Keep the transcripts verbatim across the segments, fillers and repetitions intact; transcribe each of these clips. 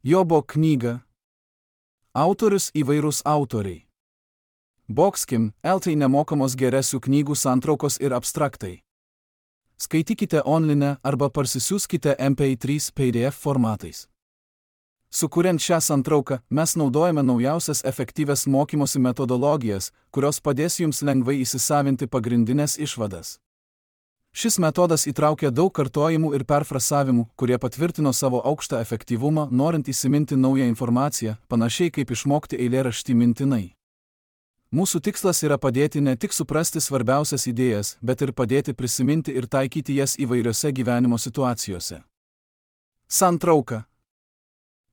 Jobo knyga. Autorius įvairūs autoriai. Boxkim, Eltai nemokamos geresių knygų santraukos ir abstraktai. Skaitykite online arba parsisiųskite M P trys P D F formatais. Sukuriant šią santrauką, mes naudojame naujausias efektyvias mokymosi metodologijas, kurios padės jums lengvai įsisavinti pagrindinės išvadas. Šis metodas įtraukia daug kartojimų ir perfrasavimų, kurie patvirtino savo aukštą efektyvumą, norint įsiminti naują informaciją, panašiai kaip išmokti eilėraštį mintinai. Mūsų tikslas yra padėti ne tik suprasti svarbiausias idėjas, bet ir padėti prisiminti ir taikyti jas įvairiose gyvenimo situacijose. Santrauka.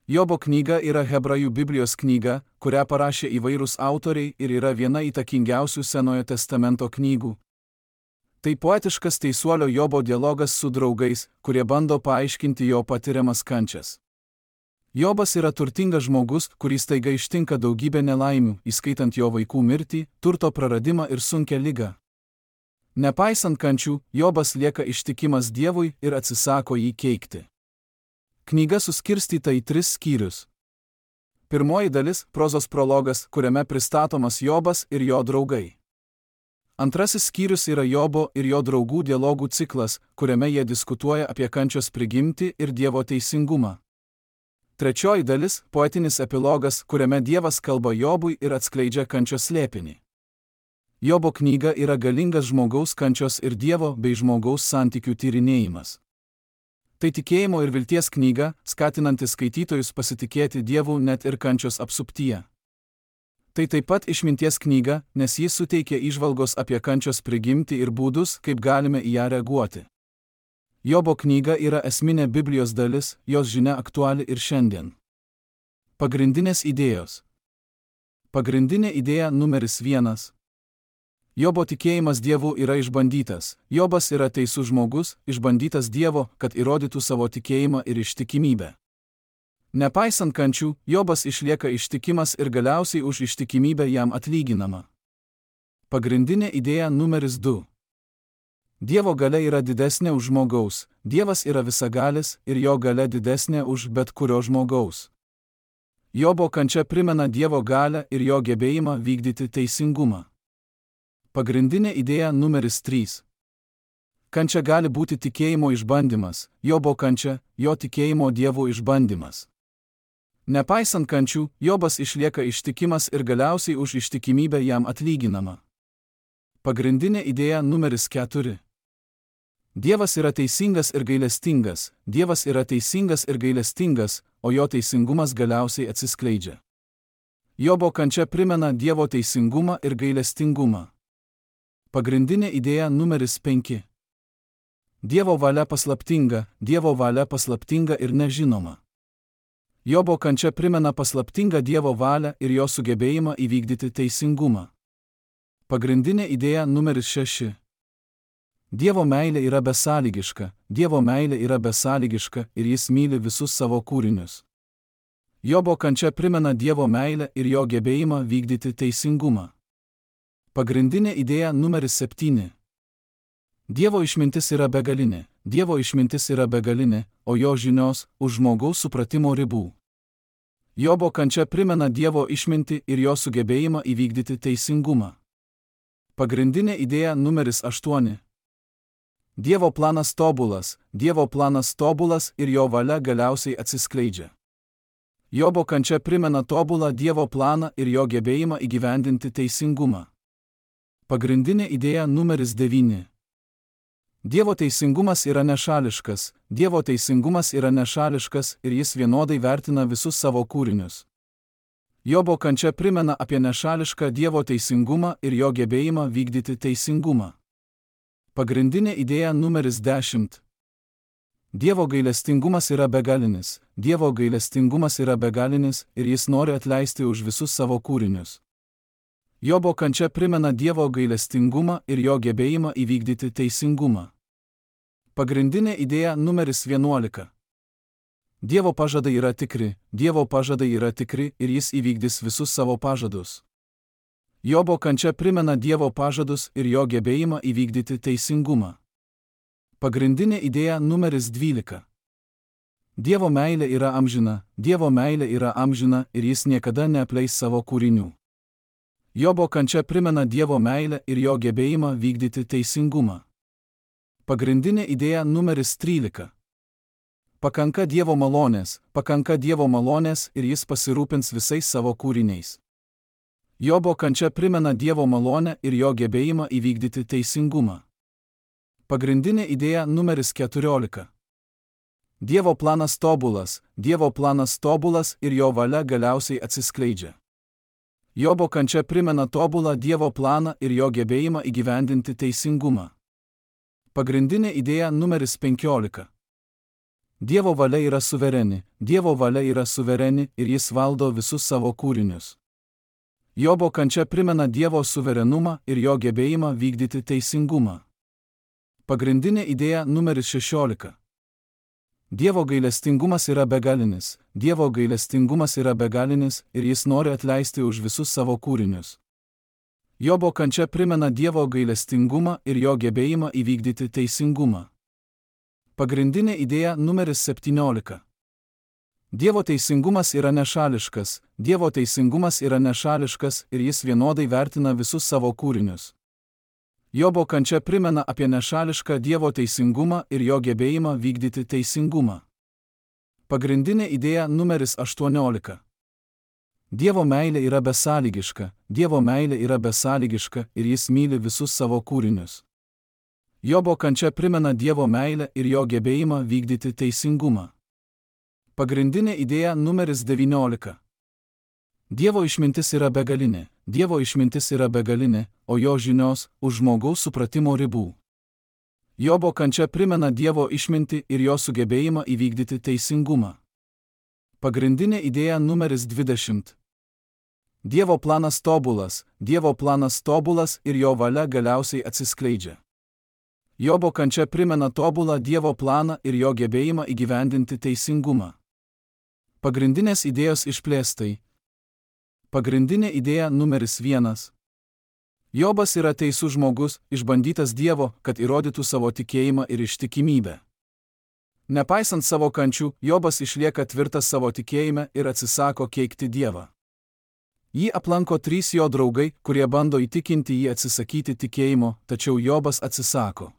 Jobo knyga yra Hebrajų Biblijos knyga, kurią parašė įvairūs autoriai ir yra viena įtakingiausių Senojo testamento knygų. Tai poetiškas teisuolio Jobo dialogas su draugais, kurie bando paaiškinti jo patiriamas kančias. Jobas yra turtingas žmogus, kurį staiga ištinka daugybė nelaimių, įskaitant jo vaikų mirtį, turto praradimą ir sunkią ligą. Nepaisant kančių, Jobas lieka ištikimas Dievui ir atsisako jį keikti. Knyga suskirstyta į tris skyrius. Pirmoji dalis – prozos prologas, kuriame pristatomas Jobas ir jo draugai. Antrasis skyrius yra Jobo ir jo draugų dialogų ciklas, kuriame jie diskutuoja apie kančios prigimtį ir Dievo teisingumą. Trečioji dalis – poetinis epilogas, kuriame Dievas kalba Jobui ir atskleidžia kančios slėpinį. Jobo knyga yra galingas žmogaus kančios ir Dievo bei žmogaus santykių tyrinėjimas. Tai tikėjimo ir vilties knyga, skatinanti skaitytojus pasitikėti Dievu net ir kančios apsuptyje. Tai taip pat išminties knyga, nes jis suteikia įžvalgos apie kančios prigimtį ir būdus, kaip galime į ją reaguoti. Jobo knyga yra esminė Biblijos dalis, jos žinia aktuali ir šiandien. Pagrindinės idėjos. Pagrindinė idėja numeris vienas. Jobo tikėjimas Dievu yra išbandytas. Jobas yra teisus žmogus, išbandytas Dievo, kad įrodytų savo tikėjimą ir ištikimybę. Nepaisant kančių, Jobas išlieka ištikimas ir galiausiai už ištikimybę jam atlyginama. Pagrindinė idėja numeris du. Dievo galia yra didesnė už žmogaus, Dievas yra visagalis ir jo galia didesnė už bet kurio žmogaus. Jobo kančia primena Dievo galią ir jo gebėjimą vykdyti teisingumą. Pagrindinė idėja numeris trys. Kančia gali būti tikėjimo išbandymas, Jobo kančia, jo tikėjimo Dievu išbandymas. Nepaisant kančių, Jobas išlieka ištikimas ir galiausiai už ištikimybę jam atlyginama. Pagrindinė idėja numeris keturi. Dievas yra teisingas ir gailestingas, Dievas yra teisingas ir gailestingas, o jo teisingumas galiausiai atsiskleidžia. Jobo kančia primena Dievo teisingumą ir gailestingumą. Pagrindinė idėja numeris penki. Dievo valia paslaptinga, Dievo valia paslaptinga ir nežinoma. Jobo kančia primena paslaptingą Dievo valią ir jo sugebėjimą įvykdyti teisingumą. Pagrindinė idėja numeris šeši. Dievo meilė yra besąlygiška, Dievo meilė yra besąlygiška ir jis myli visus savo kūrinius. Jobo kančia primena Dievo meilę ir jo gebėjimą vykdyti teisingumą. Pagrindinė idėja numeris septyni. Dievo išmintis yra begalinė, Dievo išmintis yra begalinė, o jo žinios už žmogaus supratimo ribų. Jobo kančia primena Dievo išmintį ir jo sugebėjimą įvykdyti teisingumą. Pagrindinė idėja numeris aštuoni. Dievo planas tobulas, Dievo planas tobulas ir jo valia galiausiai atsiskleidžia. Jobo kančia primena tobulą Dievo planą ir jo gebėjimą įgyvendinti teisingumą. Pagrindinė idėja numeris devyni. Dievo teisingumas yra nešališkas, Dievo teisingumas yra nešališkas ir jis vienodai vertina visus savo kūrinius. Jobo kančia primena apie nešališką Dievo teisingumą ir jo gebėjimą vykdyti teisingumą. Pagrindinė idėja numeris dešimt. Dievo gailestingumas yra begalinis, Dievo gailestingumas yra begalinis ir jis nori atleisti už visus savo kūrinius. Jobo kančia primena Dievo gailestingumą ir jo gebėjimą įvykdyti teisingumą. Pagrindinė idėja numeris vienuolika. Dievo pažadai yra tikri, Dievo pažadai yra tikri ir jis įvykdys visus savo pažadus. Jobo kančia primena Dievo pažadus ir jo gebėjimą įvykdyti teisingumą. Pagrindinė idėja numeris dvylika. Dievo meilė yra amžina, Dievo meilė yra amžina ir jis niekada neapleis savo kūrinių. Jobo kančia primena Dievo meilę ir jo gebėjimą vykdyti teisingumą. Pagrindinė idėja numeris trylika. Pakanka Dievo malonės, pakanka Dievo malonės ir jis pasirūpins visais savo kūriniais. Jobo kančia primena Dievo malonę ir jo gebėjimą įvykdyti teisingumą. Pagrindinė idėja numeris keturiolika. Dievo planas tobulas, Dievo planas tobulas ir jo valia galiausiai atsiskleidžia. Jobo kančia primena tobulą Dievo planą ir jo gebėjimą įgyvendinti teisingumą. Pagrindinė idėja numeris penkiolika. Dievo valia yra suvereni, Dievo valia yra suvereni ir jis valdo visus savo kūrinius. Jobo kančia primena Dievo suverenumą ir jo gebėjimą vykdyti teisingumą. Pagrindinė idėja numeris šešiolika. Dievo gailestingumas yra begalinis, Dievo gailestingumas yra begalinis ir jis nori atleisti už visus savo kūrinius. Jobo kančia primena Dievo gailestingumą ir jo gebėjimą įvykdyti teisingumą. Pagrindinė idėja numeris septyniolika. Dievo teisingumas yra nešališkas, Dievo teisingumas yra nešališkas ir jis vienodai vertina visus savo kūrinius. Jobo kančia primena apie nešališką Dievo teisingumą ir jo gebėjimą vykdyti teisingumą. Pagrindinė idėja numeris aštuoniolika. Dievo meilė yra besąlygiška, Dievo meilė yra besąlygiška ir jis myli visus savo kūrinius. Jobo kančia primena Dievo meilę ir jo gebėjimą vykdyti teisingumą. Pagrindinė idėja numeris devyniolika. Dievo išmintis yra begalinė, Dievo išmintis yra begalinė, o jo žinios už žmogaus supratimo ribų. Jobo kančia primena Dievo išmintį ir jo sugebėjimą įvykdyti teisingumą. Pagrindinė idėja numeris dvidešimt. Dievo planas tobulas, Dievo planas tobulas ir jo valia galiausiai atsiskleidžia. Jobo kančia primena tobulą Dievo planą ir jo gebėjimą įgyvendinti teisingumą. Pagrindinės idėjos išplėstai. Pagrindinė idėja numeris vienas. Jobas yra teisus žmogus, išbandytas Dievo, kad įrodytų savo tikėjimą ir ištikimybę. Nepaisant savo kančių, Jobas išlieka tvirtas savo tikėjime ir atsisako keikti Dievą. Jį aplanko trys jo draugai, kurie bando įtikinti jį atsisakyti tikėjimo, tačiau Jobas atsisako.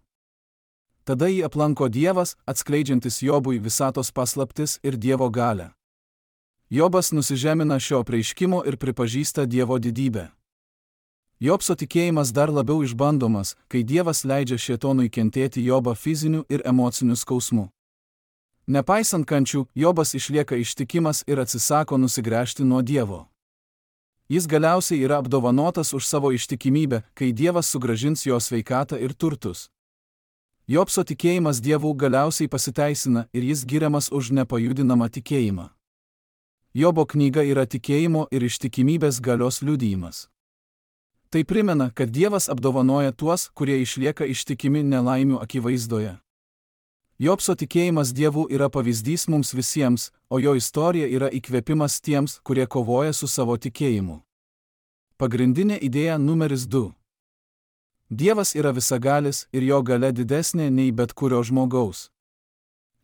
Tada jį aplanko Dievas, atskleidžiantis Jobui visatos paslaptis ir Dievo galią. Jobas nusižemina šio apreiškimo ir pripažįsta Dievo didybę. Jobso tikėjimas dar labiau išbandomas, kai Dievas leidžia šėtonui kentėti Jobą fiziniu ir emociniu skausmu. Nepaisant kančių, Jobas išlieka ištikimas ir atsisako nusigręžti nuo Dievo. Jis galiausiai yra apdovanotas už savo ištikimybę, kai Dievas sugrąžins jo sveikatą ir turtus. Jobso tikėjimas Dievu galiausiai pasiteisina ir jis giriamas už nepajudinamą tikėjimą. Jobo knyga yra tikėjimo ir ištikimybės galios liudijimas. Tai primena, kad Dievas apdovanoja tuos, kurie išlieka ištikimi nelaimių akivaizdoje. Jobso tikėjimas Dievu yra pavyzdys mums visiems, o jo istorija yra įkvėpimas tiems, kurie kovoja su savo tikėjimu. Pagrindinė idėja numeris du. Dievas yra visagalis ir jo galia didesnė nei bet kurio žmogaus.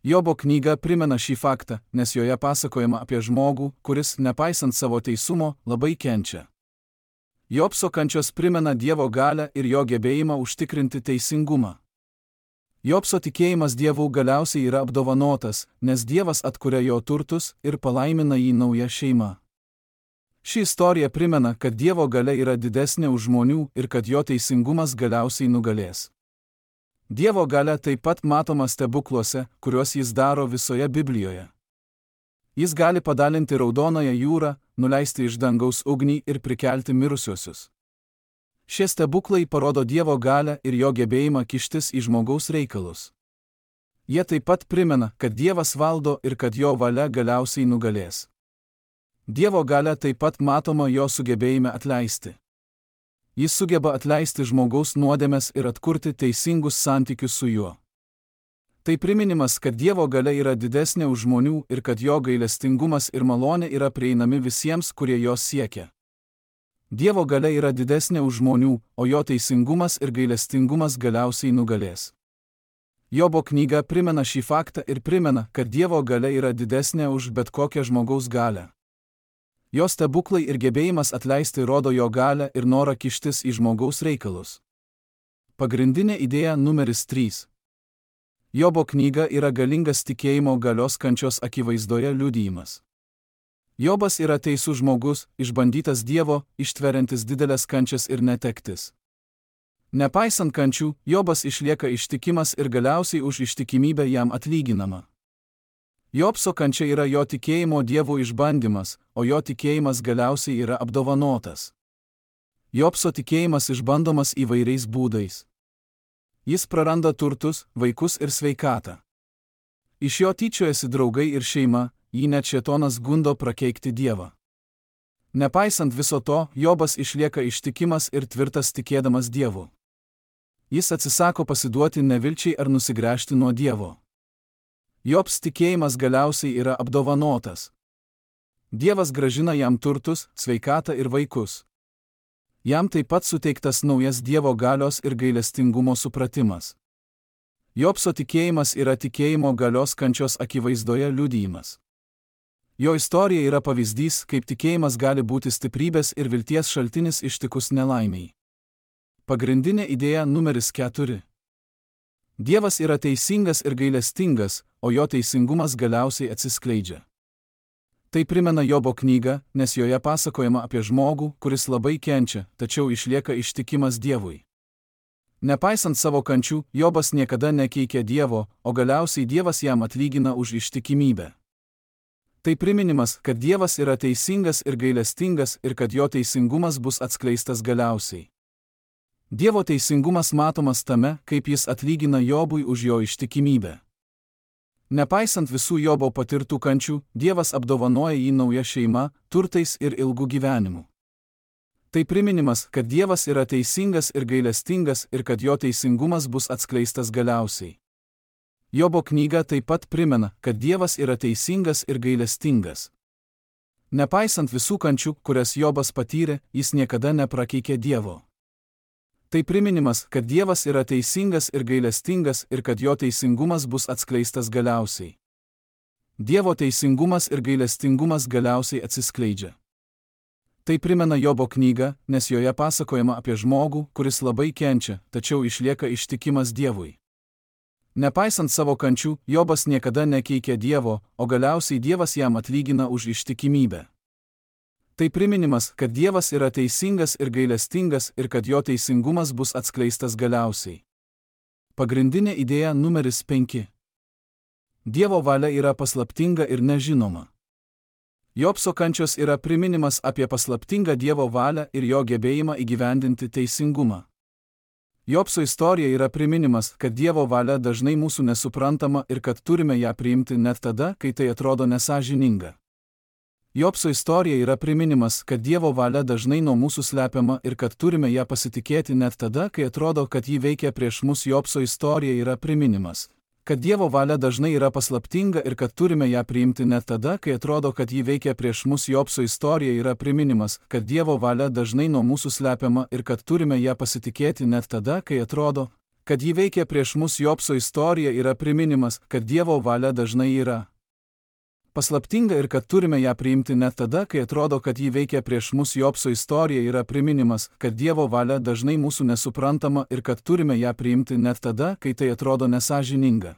Jobo knyga primena šį faktą, nes joje pasakojama apie žmogų, kuris, nepaisant savo teisumo, labai kenčia. Jobso kančios primena Dievo galią ir jo gebėjimą užtikrinti teisingumą. Jobso tikėjimas Dievu galiausiai yra apdovanotas, nes Dievas atkuria jo turtus ir palaimina jį nauja šeima. Ši istorija primena, kad Dievo galia yra didesnė už žmonių ir kad jo teisingumas galiausiai nugalės. Dievo galia taip pat matoma stebukluose, kuriuos jis daro visoje Biblijoje. Jis gali padalinti Raudonąją jūrą, nuleisti iš dangaus ugnį ir prikelti mirusiuosius. Šie stebuklai parodo Dievo galią ir jo gebėjimą kištis į žmogaus reikalus. Jie taip pat primena, kad Dievas valdo ir kad jo valia galiausiai nugalės. Dievo galia taip pat matoma jo sugebėjime atleisti. Jis sugeba atleisti žmogaus nuodėmes ir atkurti teisingus santykius su juo. Tai priminimas, kad Dievo galia yra didesnė už žmonių ir kad jo gailestingumas ir malonė yra prieinami visiems, kurie jos siekia. Dievo galia yra didesnė už žmonių, o jo teisingumas ir gailestingumas galiausiai nugalės. Jobo knyga primena šį faktą ir primena, kad Dievo galia yra didesnė už bet kokią žmogaus galią. Jo stebuklai ir gebėjimas atleisti rodo jo galią ir norą kištis į žmogaus reikalus. Pagrindinė idėja numeris trys. Jobo knyga yra galingas tikėjimo galios kančios akivaizdoje liudijimas. Jobas yra teisus žmogus, išbandytas Dievo, ištveriantis didelės kančias ir netektis. Nepaisant kančių, Jobas išlieka ištikimas ir galiausiai už ištikimybę jam atlyginama. Jobso kančia yra jo tikėjimo Dievu išbandymas, o jo tikėjimas galiausiai yra apdovanotas. Jobso tikėjimas išbandomas įvairiais būdais. Jis praranda turtus, vaikus ir sveikatą. Iš jo tyčiojasi draugai ir šeima, jį net šėtonas gundo prakeikti Dievą. Nepaisant viso to, Jobas išlieka ištikimas ir tvirtas tikėdamas Dievu. Jis atsisako pasiduoti nevilčiai ar nusigręžti nuo Dievo. Jobs tikėjimas galiausiai yra apdovanotas. Dievas grąžina jam turtus, sveikatą ir vaikus. Jam taip pat suteiktas naujas Dievo galios ir gailestingumo supratimas. Jobso tikėjimas yra tikėjimo galios kančios akivaizdoje liudijimas. Jo istorija yra pavyzdys, kaip tikėjimas gali būti stiprybės ir vilties šaltinis ištikus nelaimiai. Pagrindinė idėja numeris keturi. Dievas yra teisingas ir gailestingas, o jo teisingumas galiausiai atsiskleidžia. Tai primena Jobo knygą, nes joje pasakojama apie žmogų, kuris labai kenčia, tačiau išlieka ištikimas Dievui. Nepaisant savo kančių, Jobas niekada nekeikia Dievo, o galiausiai Dievas jam atlygina už ištikimybę. Tai priminimas, kad Dievas yra teisingas ir gailestingas ir kad jo teisingumas bus atskleistas galiausiai. Dievo teisingumas matomas tame, kaip jis atlygina Jobui už jo ištikimybę. Nepaisant visų Jobo patirtų kančių, Dievas apdovanoja jį nauja šeima, turtais ir ilgu gyvenimu. Tai priminimas, kad Dievas yra teisingas ir gailestingas ir kad jo teisingumas bus atskleistas galiausiai. Jobo knyga taip pat primena, kad Dievas yra teisingas ir gailestingas. Nepaisant visų kančių, kurias Jobas patyrė, jis niekada neprakeikė Dievo. Tai priminimas, kad Dievas yra teisingas ir gailestingas ir kad jo teisingumas bus atskleistas galiausiai. Dievo teisingumas ir gailestingumas galiausiai atsiskleidžia. Tai primena Jobo knygą, nes joje pasakojama apie žmogų, kuris labai kenčia, tačiau išlieka ištikimas Dievui. Nepaisant savo kančių, Jobas niekada nekeikė Dievo, o galiausiai Dievas jam atlygina už ištikimybę. Tai priminimas, kad Dievas yra teisingas ir gailestingas ir kad jo teisingumas bus atskleistas galiausiai. Pagrindinė idėja numeris penki. Dievo valia yra paslaptinga ir nežinoma. Jobso kančios yra priminimas apie paslaptingą Dievo valią ir jo gebėjimą įgyvendinti teisingumą. Jobso istorija yra priminimas, kad Dievo valia dažnai mūsų nesuprantama ir kad turime ją priimti net tada, kai tai atrodo nesąžininga. Jobso istorija yra priminimas, kad Dievo valia dažnai nuo mūsų slepiama ir kad turime ją pasitikėti net tada, kai atrodo, kad ji veikia prieš mus. Jobso istorija yra priminimas, kad Dievo valia dažnai yra paslaptinga ir kad turime ją priimti net tada, kai atrodo, kad ji veikia prieš mus. Jobso istorija yra priminimas, kad Dievo valia dažnai nuo mūsų slepiama ir kad turime ją pasitikėti net tada, kai atrodo, kad ji veikia prieš mus. Jobso istorija yra priminimas, kad Dievo valia dažnai yra paslaptinga ir kad turime ją priimti net tada, kai atrodo, kad ji veikia prieš mus. Jobso istorija yra priminimas, kad Dievo valia dažnai mūsų nesuprantama ir kad turime ją priimti net tada, kai tai atrodo nesąžininga.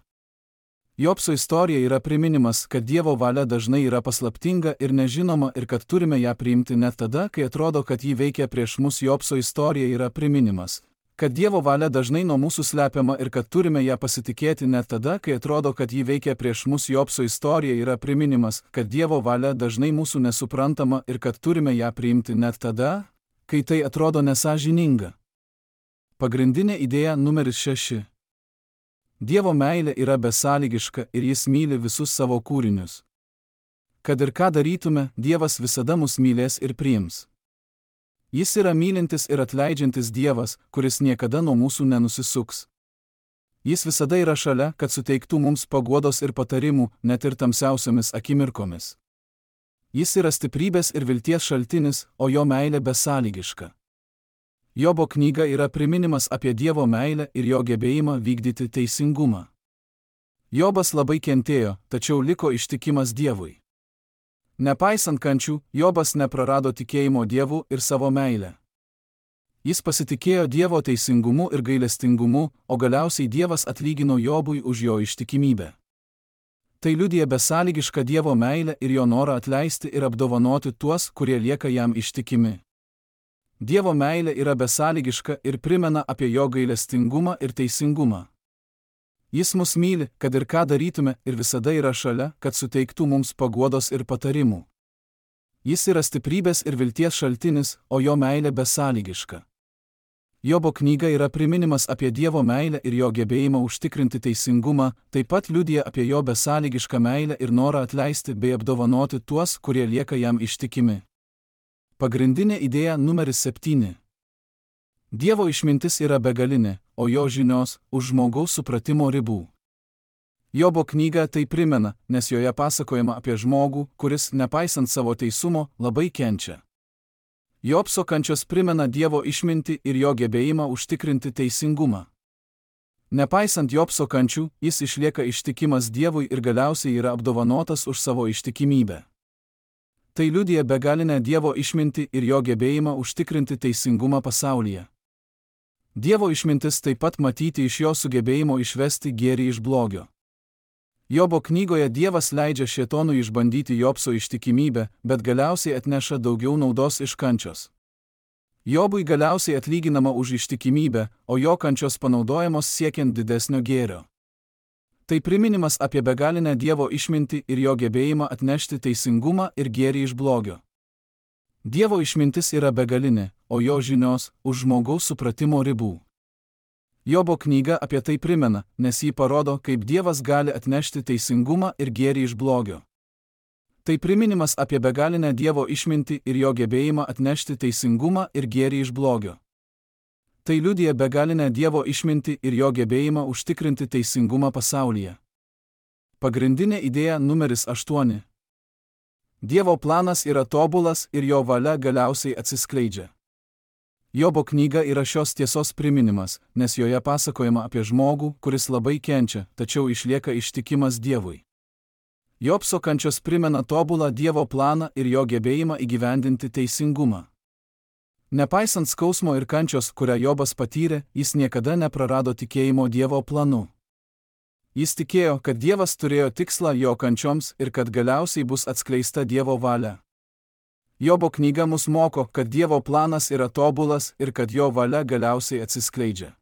Jobso istorija yra priminimas, kad Dievo valia dažnai yra paslaptinga ir nežinoma ir kad turime ją priimti net tada, kai atrodo, kad ji veikia prieš mus. Jobso istorija yra priminimas, kad Dievo valia dažnai nuo mūsų slepiama ir kad turime ją pasitikėti net tada, kai atrodo, kad ji veikia prieš mus. Jobso istorija yra priminimas, kad Dievo valia dažnai mūsų nesuprantama ir kad turime ją priimti net tada, kai tai atrodo nesąžininga. Pagrindinė idėja numeris šeši. Dievo meilė yra besąlygiška ir jis myli visus savo kūrinius. Kad ir ką darytume, Dievas visada mus mylės ir priims. Jis yra mylintis ir atleidžiantis Dievas, kuris niekada nuo mūsų nenusisuks. Jis visada yra šalia, kad suteiktų mums paguodos ir patarimų, net ir tamsiausiomis akimirkomis. Jis yra stiprybės ir vilties šaltinis, o jo meilė besąlygiška. Jobo knyga yra priminimas apie Dievo meilę ir jo gebėjimą vykdyti teisingumą. Jobas labai kentėjo, tačiau liko ištikimas Dievui. Nepaisant kančių, Jobas neprarado tikėjimo Dievu ir savo meilę. Jis pasitikėjo Dievo teisingumu ir gailestingumu, o galiausiai Dievas atlygino Jobui už jo ištikimybę. Tai liudija besąlygišką Dievo meilę ir jo norą atleisti ir apdovanoti tuos, kurie lieka jam ištikimi. Dievo meilė yra besąlygiška ir primena apie jo gailestingumą ir teisingumą. Jis mus myli, kad ir ką darytume, ir visada yra šalia, kad suteiktų mums paguodos ir patarimų. Jis yra stiprybės ir vilties šaltinis, o jo meilė besąlygiška. Jobo knyga yra priminimas apie Dievo meilę ir jo gebėjimą užtikrinti teisingumą, taip pat liudija apie jo besąlygišką meilę ir norą atleisti bei apdovanoti tuos, kurie lieka jam ištikimi. Pagrindinė idėja numeris septyni. Dievo išmintis yra begalinė, o jo žinios už žmogaus supratimo ribų. Jobo knyga tai primena, nes joje pasakojama apie žmogų, kuris, nepaisant savo teisumo, labai kenčia. Jobso kančios primena Dievo išmintį ir jo gebėjimą užtikrinti teisingumą. Nepaisant Jobso kančių, jis išlieka ištikimas Dievui ir galiausiai yra apdovanotas už savo ištikimybę. Tai liudija begalinę Dievo išmintį ir jo gebėjimą užtikrinti teisingumą pasaulyje. Dievo išmintis taip pat matyti iš jo sugebėjimo išvesti gėrį iš blogio. Jobo knygoje Dievas leidžia šėtonui išbandyti Jobso ištikimybę, bet galiausiai atneša daugiau naudos iš kančios. Jobui galiausiai atlyginama už ištikimybę, o jo kančios panaudojamos siekiant didesnio gėrio. Tai priminimas apie begalinę Dievo išmintį ir jo gebėjimą atnešti teisingumą ir gėrį iš blogio. Dievo išmintis yra begalinė, o jo žinios už žmogaus supratimo ribų. Jobo knyga apie tai primena, nes jį parodo, kaip Dievas gali atnešti teisingumą ir gėrį iš blogio. Tai priminimas apie begalinę Dievo išmintį ir jo gebėjimą atnešti teisingumą ir gėrį iš blogio. Tai liudija begalinę Dievo išmintį ir jo gebėjimą užtikrinti teisingumą pasaulyje. Pagrindinė idėja numeris aštuoni. Dievo planas yra tobulas ir jo valia galiausiai atsiskleidžia. Jobo knyga yra šios tiesos priminimas, nes joje pasakojama apie žmogų, kuris labai kenčia, tačiau išlieka ištikimas Dievui. Jobso kančios primena tobulą Dievo planą ir jo gebėjimą įgyvendinti teisingumą. Nepaisant skausmo ir kančios, kurią Jobas patyrė, jis niekada neprarado tikėjimo Dievo planu. Jis tikėjo, kad Dievas turėjo tikslą jo kančioms ir kad galiausiai bus atskleista Dievo valia. Jobo knyga mus moko, kad Dievo planas yra tobulas ir kad jo valia galiausiai atsiskleidžia.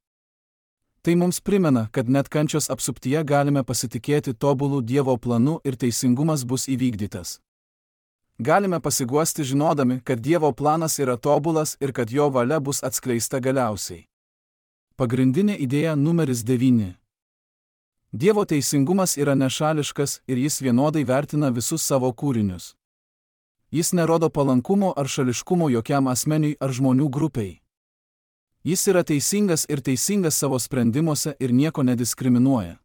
Tai mums primena, kad net kančios apsuptyje galime pasitikėti tobulų Dievo planu ir teisingumas bus įvykdytas. Galime pasiguosti žinodami, kad Dievo planas yra tobulas ir kad jo valia bus atskleista galiausiai. Pagrindinė idėja numeris devyni. Dievo teisingumas yra nešališkas ir jis vienodai vertina visus savo kūrinius. Jis nerodo palankumo ar šališkumo jokiam asmeniui ar žmonių grupiai. Jis yra teisingas ir teisingas savo sprendimuose ir nieko nediskriminuoja.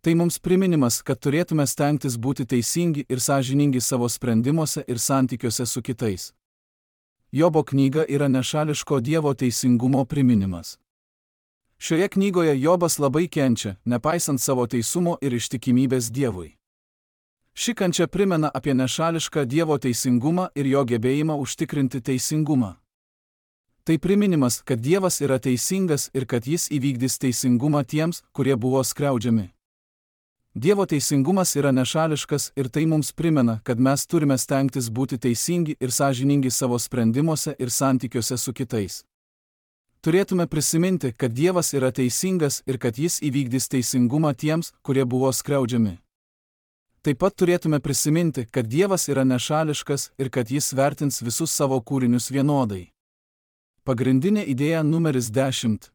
Tai mums priminimas, kad turėtume stengtis būti teisingi ir sąžiningi savo sprendimuose ir santykiuose su kitais. Jobo knyga yra nešališko Dievo teisingumo priminimas. Šioje knygoje Jobas labai kenčia, nepaisant savo teisumo ir ištikimybės Dievui. Ši kančia primena apie nešališką Dievo teisingumą ir jo gebėjimą užtikrinti teisingumą. Tai priminimas, kad Dievas yra teisingas ir kad jis įvykdys teisingumą tiems, kurie buvo skriaudžiami. Dievo teisingumas yra nešališkas ir tai mums primena, kad mes turime stengtis būti teisingi ir sąžiningi savo sprendimuose ir santykiuose su kitais. Turėtume prisiminti, kad Dievas yra teisingas ir kad jis įvykdys teisingumą tiems, kurie buvo skriaudžiami. Taip pat turėtume prisiminti, kad Dievas yra nešališkas ir kad jis vertins visus savo kūrinius vienodai. Pagrindinė idėja numeris dešimt.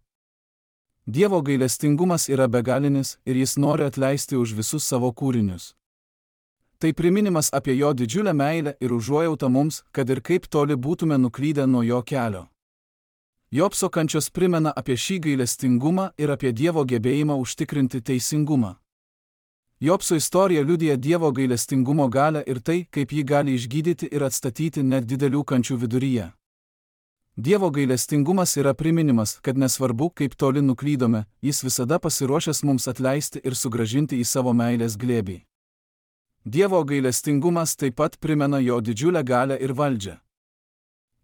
Dievo gailestingumas yra begalinis ir jis nori atleisti už visus savo kūrinius. Tai priminimas apie jo didžiulę meilę ir užuojautą mums, kad ir kaip toli būtume nuklydę nuo jo kelio. Jobso kančios primena apie šį gailestingumą ir apie Dievo gebėjimą užtikrinti teisingumą. Jobso istorija liudija Dievo gailestingumo galią ir tai, kaip jį gali išgydyti ir atstatyti net didelių kančių viduryje. Dievo gailestingumas yra priminimas, kad nesvarbu, kaip toli nuklydome, jis visada pasiruošęs mums atleisti ir sugrąžinti į savo meilės glėbį. Dievo gailestingumas taip pat primena jo didžiulę galią ir valdžią.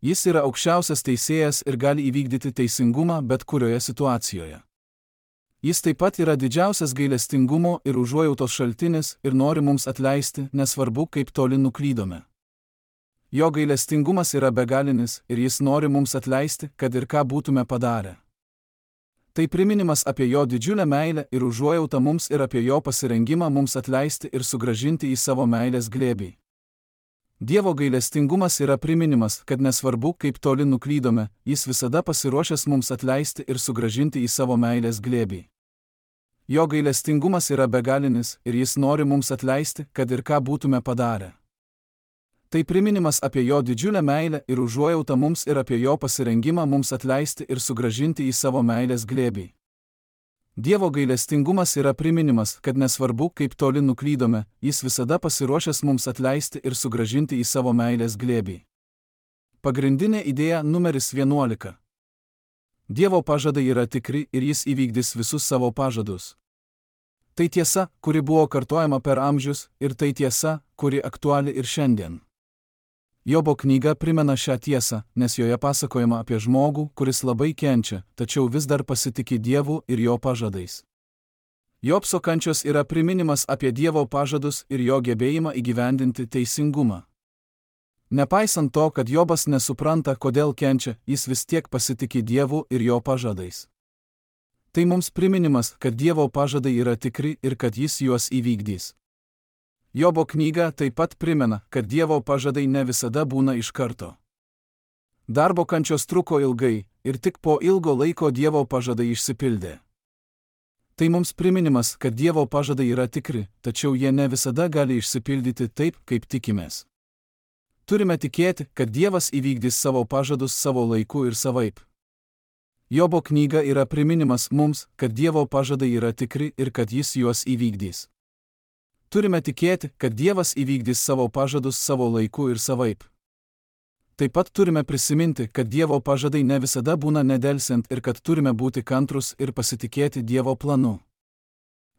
Jis yra aukščiausias teisėjas ir gali įvykdyti teisingumą bet kurioje situacijoje. Jis taip pat yra didžiausias gailestingumo ir užuojautos šaltinis ir nori mums atleisti, nesvarbu, kaip toli nuklydome. Jo gailestingumas yra begalinis ir jis nori mums atleisti, kad ir ką būtume padarę. Tai priminimas apie jo didžiulę meilę ir užuojautą mums ir apie jo pasirengimą mums atleisti ir sugrąžinti į savo meilės glėbį. Dievo gailestingumas yra priminimas, kad nesvarbu, kaip toli nuklydome, jis visada pasiruošęs mums atleisti ir sugrąžinti į savo meilės glėbį. Jo gailestingumas yra begalinis ir jis nori mums atleisti, kad ir ką būtume padarę. Tai priminimas apie jo didžiulę meilę ir užuojautą mums ir apie jo pasirengimą mums atleisti ir sugrąžinti į savo meilės glėbį. Dievo gailestingumas yra priminimas, kad nesvarbu, kaip toli nuklydome, jis visada pasiruošęs mums atleisti ir sugrąžinti į savo meilės glėbį. Pagrindinė idėja numeris vienuolika. Dievo pažadai yra tikri ir jis įvykdys visus savo pažadus. Tai tiesa, kuri buvo kartojama per amžius, ir tai tiesa, kuri aktuali ir šiandien. Jobo knyga primena šią tiesą, nes joje pasakojama apie žmogų, kuris labai kenčia, tačiau vis dar pasitiki Dievu ir jo pažadais. Jobso kančios yra priminimas apie Dievo pažadus ir jo gebėjimą įgyvendinti teisingumą. Nepaisant to, kad Jobas nesupranta, kodėl kenčia, jis vis tiek pasitiki Dievu ir jo pažadais. Tai mums priminimas, kad Dievo pažadai yra tikri ir kad jis juos įvykdys. Jobo knyga taip pat primena, kad Dievo pažadai ne visada būna iš karto. Darbo kančios truko ilgai ir tik po ilgo laiko Dievo pažadai išsipildė. Tai mums priminimas, kad Dievo pažadai yra tikri, tačiau jie ne visada gali išsipildyti taip, kaip tikimės. Turime tikėti, kad Dievas įvykdys savo pažadus savo laiku ir savaip. Jobo knyga yra priminimas mums, kad Dievo pažadai yra tikri ir kad jis juos įvykdys. Turime tikėti, kad Dievas įvykdys savo pažadus savo laiku ir savaip. Taip pat turime prisiminti, kad Dievo pažadai ne visada būna nedelsiant ir kad turime būti kantrus ir pasitikėti Dievo planu.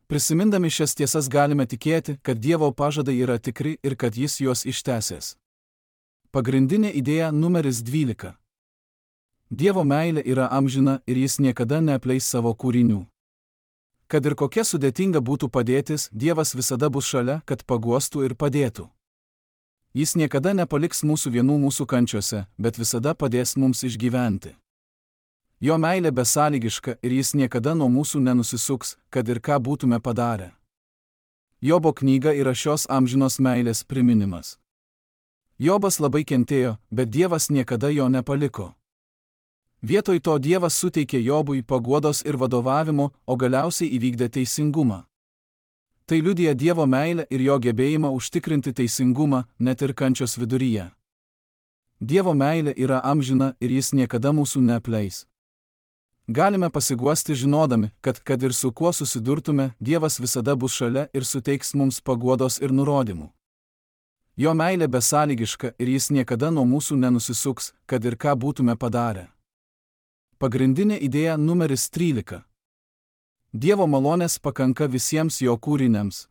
Prisimindami šias tiesas galime tikėti, kad Dievo pažadai yra tikri ir kad jis juos ištęsės. Pagrindinė idėja numeris dvylika. Dievo meilė yra amžina ir jis niekada neapleis savo kūrinių. Kad ir kokia sudėtinga būtų padėtis, Dievas visada bus šalia, kad paguostų ir padėtų. Jis niekada nepaliks mūsų vienų mūsų kančiose, bet visada padės mums išgyventi. Jo meilė besąlygiška ir jis niekada nuo mūsų nenusisuks, kad ir ką būtume padarę. Jobo knyga yra šios amžinos meilės priminimas. Jobas labai kentėjo, bet Dievas niekada jo nepaliko. Vietoj to Dievas suteikė Jobui paguodos ir vadovavimo, o galiausiai įvykdė teisingumą. Tai liudija Dievo meilę ir jo gebėjimą užtikrinti teisingumą, net ir kančios viduryje. Dievo meilė yra amžina ir jis niekada mūsų neapleis. Galime pasiguosti žinodami, kad kad ir su kuo susidurtume, Dievas visada bus šalia ir suteiks mums paguodos ir nurodymų. Jo meilė besąlygiška ir jis niekada nuo mūsų nenusisuks, kad ir ką būtume padarę. Pagrindinė idėja numeris trylika. Dievo malonės pakanka visiems jo kūriniams.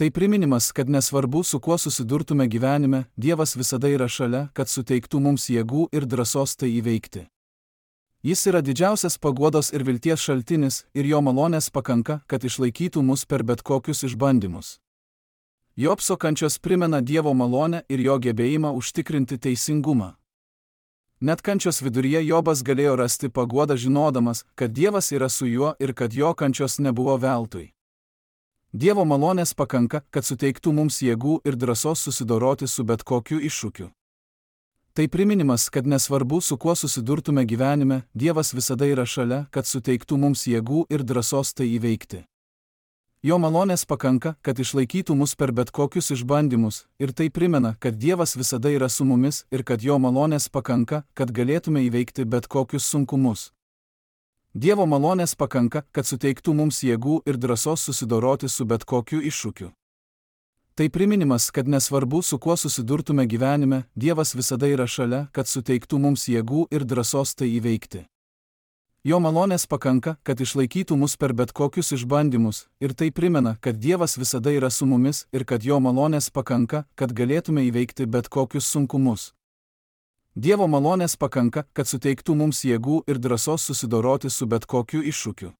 Tai priminimas, kad nesvarbu, su kuo susidurtume gyvenime, Dievas visada yra šalia, kad suteiktų mums jėgų ir drąsos tai įveikti. Jis yra didžiausias paguodos ir vilties šaltinis, ir jo malonės pakanka, kad išlaikytų mus per bet kokius išbandymus. Jobso kančios primena Dievo malonę ir jo gebėjimą užtikrinti teisingumą. Net kančios viduryje Jobas galėjo rasti paguodą žinodamas, kad Dievas yra su juo ir kad jo kančios nebuvo veltui. Dievo malonės pakanka, kad suteiktų mums jėgų ir drąsos susidoroti su bet kokiu iššūkiu. Tai priminimas, kad nesvarbu, su kuo susidurtume gyvenime, Dievas visada yra šalia, kad suteiktų mums jėgų ir drąsos tai įveikti. Jo malonės pakanka, kad išlaikytų mus per bet kokius išbandymus, ir tai primena, kad Dievas visada yra su mumis ir kad jo malonės pakanka, kad galėtume įveikti bet kokius sunkumus. Dievo malonės pakanka, kad suteiktų mums jėgų ir drąsos susidoroti su bet kokiu iššūkiu. Tai priminimas, kad nesvarbu, su kuo susidurtume gyvenime, Dievas visada yra šalia, kad suteiktų mums jėgų ir drąsos tai įveikti. Jo malonės pakanka, kad išlaikytų mus per bet kokius išbandymus, ir tai primena, kad Dievas visada yra su mumis ir kad jo malonės pakanka, kad galėtume įveikti bet kokius sunkumus. Dievo malonės pakanka, kad suteiktų mums jėgų ir drąsos susidoroti su bet kokiu iššūkiu.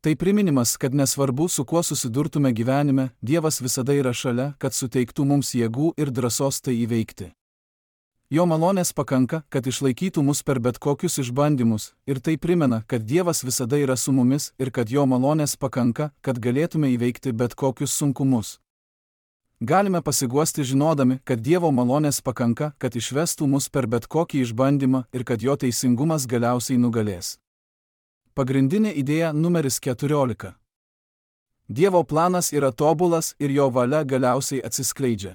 Tai priminimas, kad nesvarbu, su kuo susidurtume gyvenime, Dievas visada yra šalia, kad suteiktų mums jėgų ir drąsos tai įveikti. Jo malonės pakanka, kad išlaikytų mus per bet kokius išbandymus, ir tai primena, kad Dievas visada yra su mumis ir kad jo malonės pakanka, kad galėtume įveikti bet kokius sunkumus. Galime pasiguosti žinodami, kad Dievo malonės pakanka, kad išvestų mus per bet kokį išbandymą ir kad jo teisingumas galiausiai nugalės. Pagrindinė idėja numeris keturiolika. Dievo planas yra tobulas ir jo valia galiausiai atsiskleidžia.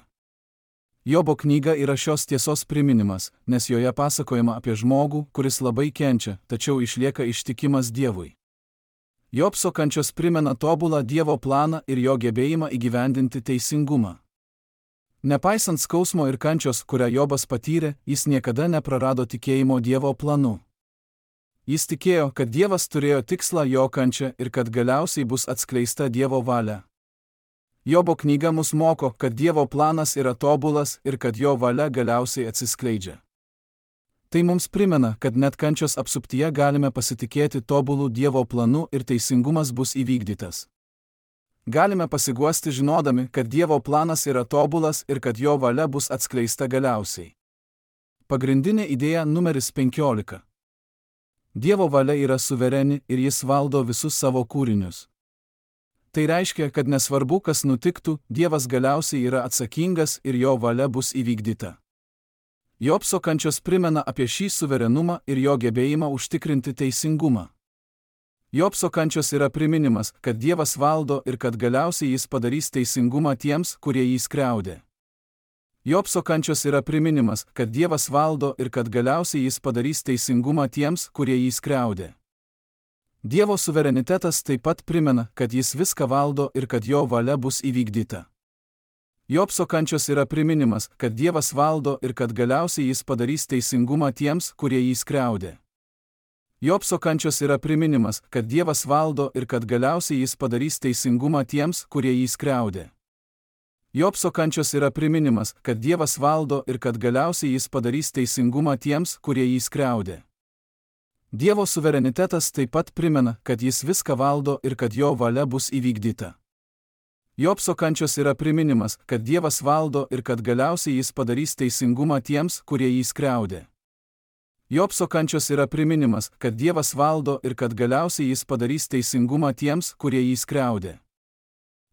Jobo knyga yra šios tiesos priminimas, nes joje pasakojama apie žmogų, kuris labai kenčia, tačiau išlieka ištikimas Dievui. Jobso kančios primena tobulą Dievo planą ir jo gebėjimą įgyvendinti teisingumą. Nepaisant skausmo ir kančios, kurią Jobas patyrė, jis niekada neprarado tikėjimo Dievo planu. Jis tikėjo, kad Dievas turėjo tikslą jo kančią ir kad galiausiai bus atskleista Dievo valia. Jobo knyga mus moko, kad Dievo planas yra tobulas ir kad jo valia galiausiai atsiskleidžia. Tai mums primena, kad net kančios apsuptyje galime pasitikėti tobulų Dievo planu ir teisingumas bus įvykdytas. Galime pasiguosti žinodami, kad Dievo planas yra tobulas ir kad jo valia bus atskleista galiausiai. Pagrindinė idėja numeris penkiolika. Dievo valia yra suvereni ir jis valdo visus savo kūrinius. Tai reiškia, kad nesvarbu, kas nutiktų, Dievas galiausiai yra atsakingas ir jo valia bus įvykdyta. Jobso kančios primena apie šį suverenumą ir jo gebėjimą užtikrinti teisingumą. Jobso kančios yra priminimas, kad Dievas valdo ir kad galiausiai jis padarys teisingumą tiems, kurie jį skriaudė. Jobso kančios yra priminimas, kad Dievas valdo ir kad galiausiai jis padarys teisingumą tiems, kurie jį skriaudė. Dievo suverenitetas taip pat primena, kad jis viską valdo ir kad jo valia bus įvykdyta. Jobso kančios yra priminimas, kad Dievas valdo ir kad galiausiai jis padarys teisingumą tiems, kurie jį skriaudė. Jobso kančios yra priminimas, kad Dievas valdo ir kad galiausiai jis padarys teisingumą tiems, kurie jį skriaudė. Jobso kančios yra priminimas, kad Dievas valdo ir kad galiausiai jis padarys teisingumą tiems, kurie jį skriaudė. Dievo suverenitetas taip pat primena, kad jis viską valdo ir kad jo valia bus įvykdyta. Jobso kančios yra priminimas, kad Dievas valdo ir kad galiausiai jis padarys teisingumą tiems, kurie jį skriaudė. Jobso kančios yra priminimas, kad Dievas valdo ir kad galiausiai jis padarys teisingumą tiems, kurie jį skriaudė.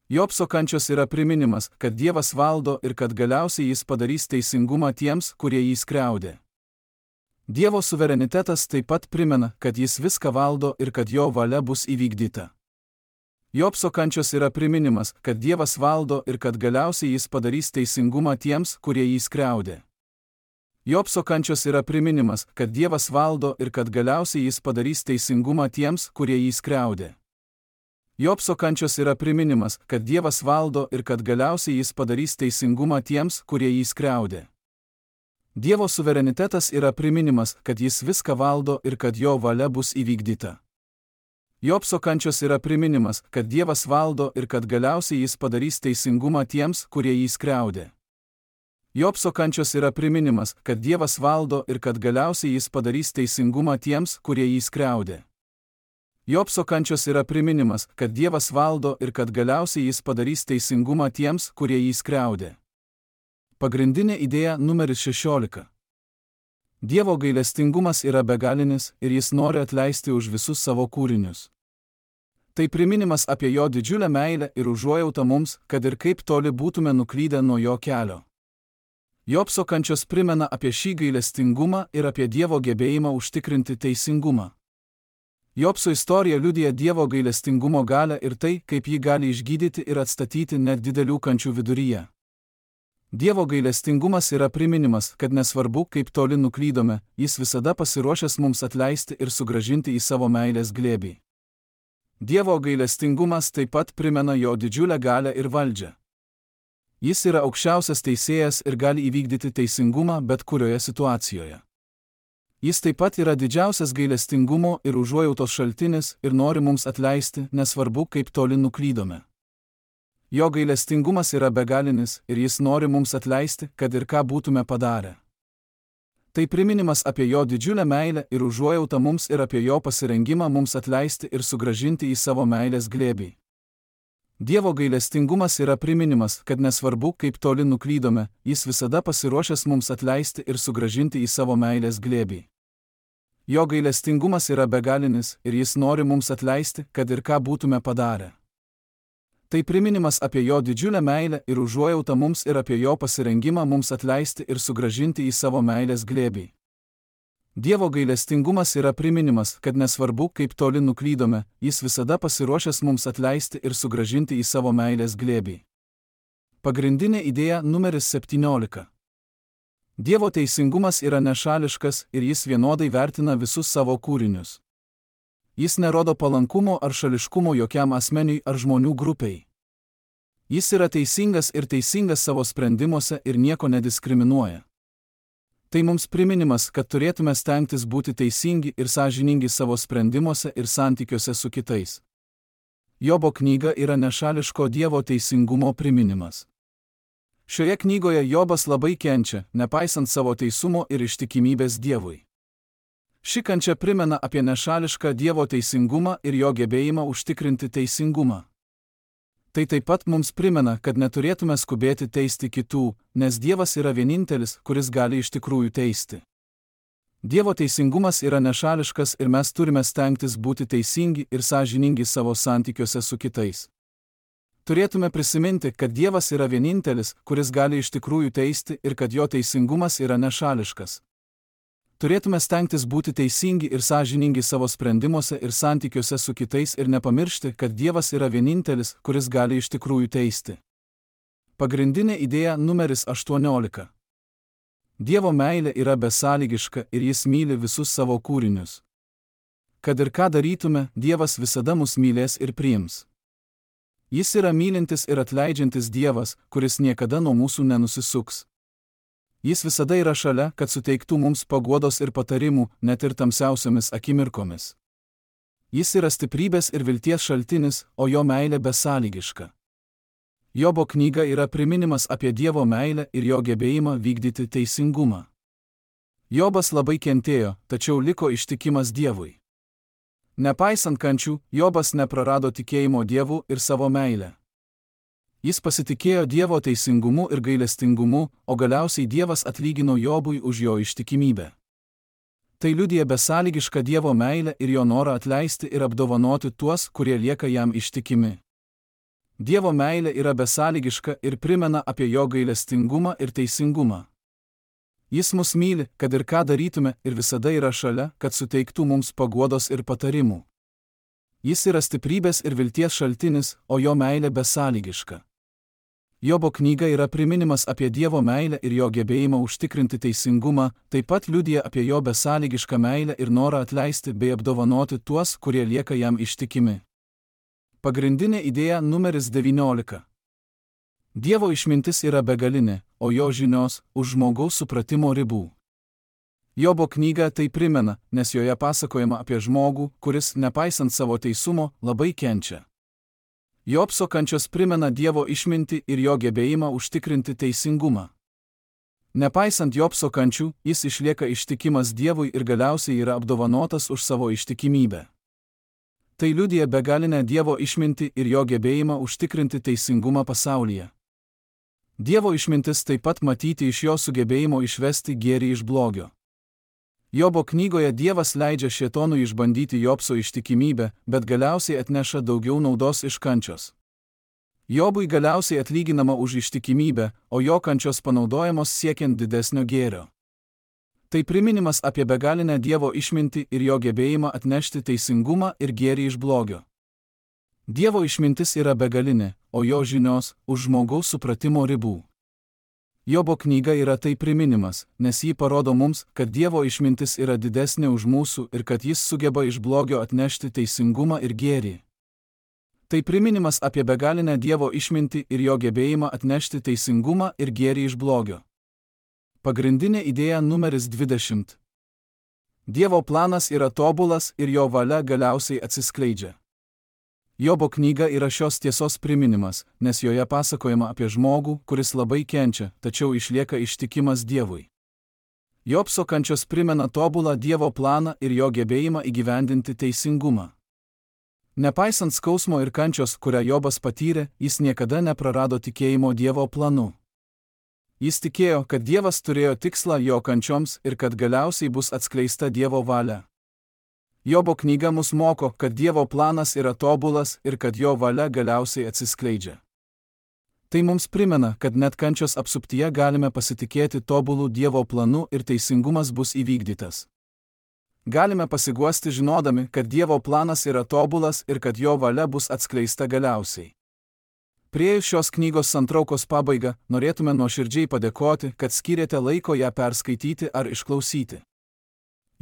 Jobso kančios yra priminimas, kad Dievas valdo ir kad galiausiai jis padarys teisingumą tiems, kurie jį skriaudė. Dievo suverenitetas taip pat primena, kad jis viską valdo ir kad jo valia bus įvykdyta. Jobso kančios yra priminimas, kad Dievas valdo ir kad galiausiai jis padarys teisingumą tiems, kurie jį skriaudė. Jobso kančios yra priminimas, kad Dievas valdo ir kad galiausiai jis padarys teisingumą tiems, kurie jį skriaudė. Jobso kančios yra priminimas, kad Dievas valdo ir kad galiausiai jis padarys teisingumą tiems, kurie jį skriaudė. Dievo suverenitetas yra priminimas, kad jis viską valdo ir kad jo valia bus įvykdyta. Jobso kančios yra priminimas, kad Dievas valdo ir kad galiausiai jis padarys teisingumą tiems, kurie jį skriaudė. Jobso kančios yra priminimas, kad Dievas valdo ir kad galiausiai jis padarys teisingumą tiems, kurie jį skriaudė. Jobso kančios yra priminimas, kad Dievas valdo ir kad galiausiai jis padarys teisingumą tiems, kurie jį skriaudė. Pagrindinė idėja numeris šešiolika. Dievo gailestingumas yra begalinis ir jis nori atleisti už visus savo kūrinius. Tai priminimas apie jo didžiulę meilę ir užuojautą mums, kad ir kaip toli būtume nuklydę nuo jo kelio. Jobso kančios primena apie šį gailestingumą ir apie Dievo gebėjimą užtikrinti teisingumą. Jobso istorija liudija Dievo gailestingumo galią ir tai, kaip jį gali išgydyti ir atstatyti net didelių kančių viduryje. Dievo gailestingumas yra priminimas, kad nesvarbu, kaip toli nuklydome, jis visada pasiruošęs mums atleisti ir sugrąžinti į savo meilės glėbį. Dievo gailestingumas taip pat primena jo didžiulę galią ir valdžią. Jis yra aukščiausias teisėjas ir gali įvykdyti teisingumą bet kurioje situacijoje. Jis taip pat yra didžiausias gailestingumo ir užuojautos šaltinis ir nori mums atleisti, nesvarbu, kaip toli nuklydome. Jo gailestingumas yra begalinis ir jis nori mums atleisti, kad ir ką būtume padarę. Tai priminimas apie jo didžiulę meilę ir užuojautą mums ir apie jo pasirengimą mums atleisti ir sugrąžinti į savo meilės glėbį. Dievo gailestingumas yra priminimas, kad nesvarbu, kaip toli nuklydome, jis visada pasiruošęs mums atleisti ir sugrąžinti į savo meilės glėbį. Jo gailestingumas yra begalinis ir jis nori mums atleisti, kad ir ką būtume padarę. Tai priminimas apie jo didžiulę meilę ir užuojautą mums ir apie jo pasirengimą mums atleisti ir sugrąžinti į savo meilės glėbį. Dievo gailestingumas yra priminimas, kad nesvarbu, kaip toli nuklydome, jis visada pasiruošęs mums atleisti ir sugrąžinti į savo meilės glėbį. Pagrindinė idėja numeris septyniolika. Dievo teisingumas yra nešališkas ir jis vienodai vertina visus savo kūrinius. Jis nerodo palankumo ar šališkumo jokiam asmeniui ar žmonių grupiai. Jis yra teisingas ir teisingas savo sprendimuose ir nieko nediskriminuoja. Tai mums priminimas, kad turėtume stengtis būti teisingi ir sąžiningi savo sprendimuose ir santykiuose su kitais. Jobo knyga yra nešališko Dievo teisingumo priminimas. Šioje knygoje Jobas labai kenčia, nepaisant savo teisumo ir ištikimybės Dievui. Ši kančia primena apie nešališką Dievo teisingumą ir jo gebėjimą užtikrinti teisingumą. Tai taip pat mums primena, kad neturėtume skubėti teisti kitų, nes Dievas yra vienintelis, kuris gali iš tikrųjų teisti. Dievo teisingumas yra nešališkas ir mes turime stengtis būti teisingi ir sąžiningi savo santykiuose su kitais. Turėtume prisiminti, kad Dievas yra vienintelis, kuris gali iš tikrųjų teisti ir kad jo teisingumas yra nešališkas. Turėtume stengtis būti teisingi ir sąžiningi savo sprendimuose ir santykiuose su kitais ir nepamiršti, kad Dievas yra vienintelis, kuris gali iš tikrųjų teisti. Pagrindinė idėja numeris aštuoniolika. Dievo meilė yra besąlygiška ir jis myli visus savo kūrinius. Kad ir ką darytume, Dievas visada mus mylės ir priims. Jis yra mylintis ir atleidžiantis Dievas, kuris niekada nuo mūsų nenusisuks. Jis visada yra šalia, kad suteiktų mums paguodos ir patarimų, net ir tamsiausiomis akimirkomis. Jis yra stiprybės ir vilties šaltinis, o jo meilė besąlygiška. Jobo knyga yra priminimas apie Dievo meilę ir jo gebėjimą vykdyti teisingumą. Jobas labai kentėjo, tačiau liko ištikimas Dievui. Nepaisant kančių, Jobas neprarado tikėjimo Dievu ir savo meilę. Jis pasitikėjo Dievo teisingumu ir gailestingumu, o galiausiai Dievas atlygino Jobui už jo ištikimybę. Tai liudija besąlygišką Dievo meilę ir jo norą atleisti ir apdovanoti tuos, kurie lieka jam ištikimi. Dievo meilė yra besąlygiška ir primena apie jo gailestingumą ir teisingumą. Jis mus myli, kad ir ką darytume, ir visada yra šalia, kad suteiktų mums paguodos ir patarimų. Jis yra stiprybės ir vilties šaltinis, o jo meilė besąlygiška. Jobo knyga yra priminimas apie Dievo meilę ir jo gebėjimą užtikrinti teisingumą, taip pat liudija apie jo besąlygišką meilę ir norą atleisti bei apdovanoti tuos, kurie lieka jam ištikimi. Pagrindinė idėja numeris devyniolika. Dievo išmintis yra begalinė, o jo žinios už žmogaus supratimo ribų. Jobo knyga tai primena, nes joje pasakojama apie žmogų, kuris, nepaisant savo teisumo, labai kenčia. Jobso kančios primena Dievo išmintį ir jo gebėjimą užtikrinti teisingumą. Nepaisant Jobso kančių, jis išlieka ištikimas Dievui ir galiausiai yra apdovanotas už savo ištikimybę. Tai liudija begalinę Dievo išmintį ir jo gebėjimą užtikrinti teisingumą pasaulyje. Dievo išmintis taip pat matyti iš jo sugebėjimo išvesti gėrį iš blogio. Jobo knygoje Dievas leidžia šėtonui išbandyti Jobso ištikimybę, bet galiausiai atneša daugiau naudos iš kančios. Jobui galiausiai atlyginama už ištikimybę, o jo kančios panaudojamos siekiant didesnio gėrio. Tai priminimas apie begalinę Dievo išmintį ir jo gebėjimą atnešti teisingumą ir gėrį iš blogio. Dievo išmintis yra begalinė, o jo žinios už žmogaus supratimo ribų. Jobo knyga yra tai priminimas, nes jį parodo mums, kad Dievo išmintis yra didesnė už mūsų ir kad jis sugeba iš blogio atnešti teisingumą ir gėrį. Tai priminimas apie begalinę Dievo išmintį ir jo gebėjimą atnešti teisingumą ir gėrį iš blogio. Pagrindinė idėja numeris dvidešimt. Dievo planas yra tobulas ir jo valia galiausiai atsiskleidžia. Jobo knyga yra šios tiesos priminimas, nes joje pasakojama apie žmogų, kuris labai kenčia, tačiau išlieka ištikimas Dievui. Jobso kančios primena tobulą Dievo planą ir jo gebėjimą įgyvendinti teisingumą. Nepaisant skausmo ir kančios, kurią Jobas patyrė, jis niekada neprarado tikėjimo Dievo planu. Jis tikėjo, kad Dievas turėjo tikslą jo kančioms ir kad galiausiai bus atskleista Dievo valia. Jobo knyga mus moko, kad Dievo planas yra tobulas ir kad jo valia galiausiai atsiskleidžia. Tai mums primena, kad net kančios apsuptyje galime pasitikėti tobulų Dievo planu ir teisingumas bus įvykdytas. Galime pasiguosti žinodami, kad Dievo planas yra tobulas ir kad jo valia bus atskleista galiausiai. Priėjus šios knygos santraukos pabaigą, norėtume nuoširdžiai padėkoti, kad skyrėte laiko ją perskaityti ar išklausyti.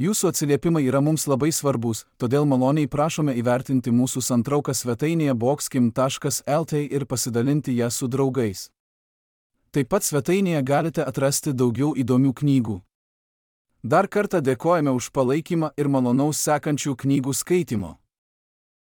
Jūsų atsiliepimai yra mums labai svarbus, todėl maloniai prašome įvertinti mūsų santrauką svetainėje boxkim taškas lt ir pasidalinti ją su draugais. Taip pat svetainėje galite atrasti daugiau įdomių knygų. Dar kartą dėkojame už palaikymą ir malonaus sekančių knygų skaitimo.